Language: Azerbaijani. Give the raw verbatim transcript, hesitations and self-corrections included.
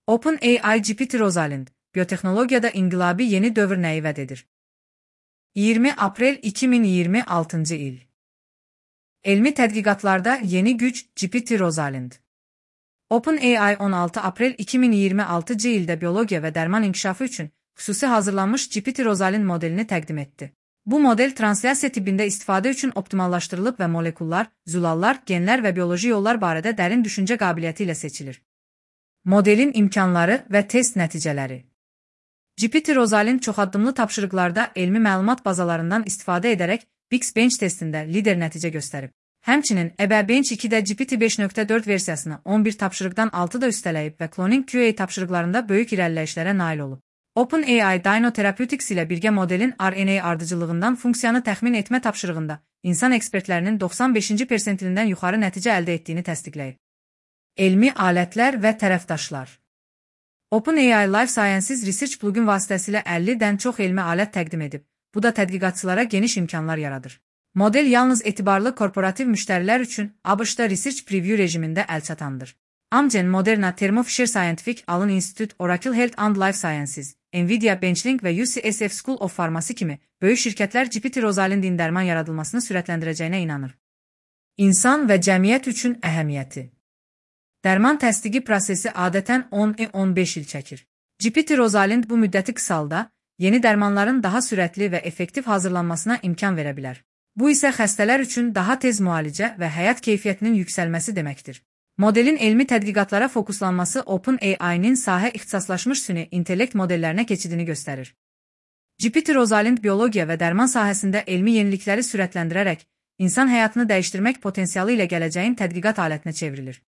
OpenAI G P T Rosalind, biyotexnologiyada inqilabi yeni dövr nəyi vəd edir? iyirmi aprel iki min iyirmi altıncı il. Elmi tədqiqatlarda yeni güc G P T Rosalind. OpenAI on altı aprel iki min iyirmi altıncı ildə biologiya və dərman inkişafı üçün xüsusi hazırlanmış G P T Rosalind modelini təqdim etdi. Bu model translyasiya tibbində istifadə üçün optimallaşdırılıb və molekullar, zülallar, genlər və bioloji yollar barədə dərin düşüncə qabiliyyəti ilə seçilir. Modelin imkanları və test nəticələri. G P T Rosalind çoxaddımlı tapşırıqlarda elmi məlumat bazalarından istifadə edərək Bixbench testində lider nəticə göstərib. Həmçinin EBEbench ikidə G P T beş nöqtə dörd versiyasını on bir tapşırıqdan altı da üstələyib və Cloning Q A tapşırıqlarında böyük irəliləyişlərə nail olub. OpenAI Dino Therapeutics ilə birgə modelin R N A ardıcıllığından funksiyanı təxmin etmə tapşırığında insan ekspertlərinin doxsan beşinci persentilindən yuxarı nəticə əldə etdiyini təsdiqləyib. Elmi alətlər və tərəfdaşlar. OpenAI Life Sciences Research plugin vasitəsilə əllidən çox elmi alət təqdim edib. Bu da tədqiqatçılara geniş imkanlar yaradır. Model yalnız etibarlı korporativ müştərilər üçün ABŞ-da Research Preview rejimində əlçatandır. Amgen, Moderna, Thermo Fisher Scientific, Allen Institute, Oracle Health and Life Sciences, Nvidia, Benchling və U C S F School of Pharmacy kimi böyük şirkətlər G P T Rosalindin dərman yaradılmasını sürətləndirəcəyinə inanır. İnsan və cəmiyyət üçün əhəmiyyəti. Dərman təsdiqi prosesi adətən on on beş il çəkir. G P T Rosalind bu müddəti qısalda, yeni dərmanların daha sürətli və effektiv hazırlanmasına imkan verə bilər. Bu isə xəstələr üçün daha tez müalicə və həyat keyfiyyətinin yüksəlməsi deməkdir. Modelin elmi tədqiqatlara fokuslanması OpenAI-nin sahə ixtisaslaşmış süni intellekt modellərinə keçidini göstərir. G P T Rosalind biologiya və dərman sahəsində elmi yenilikləri sürətləndirərək, insan həyatını dəyişdirmək potensialı ilə gələcəyin tədqiqat alətinə çevrilir.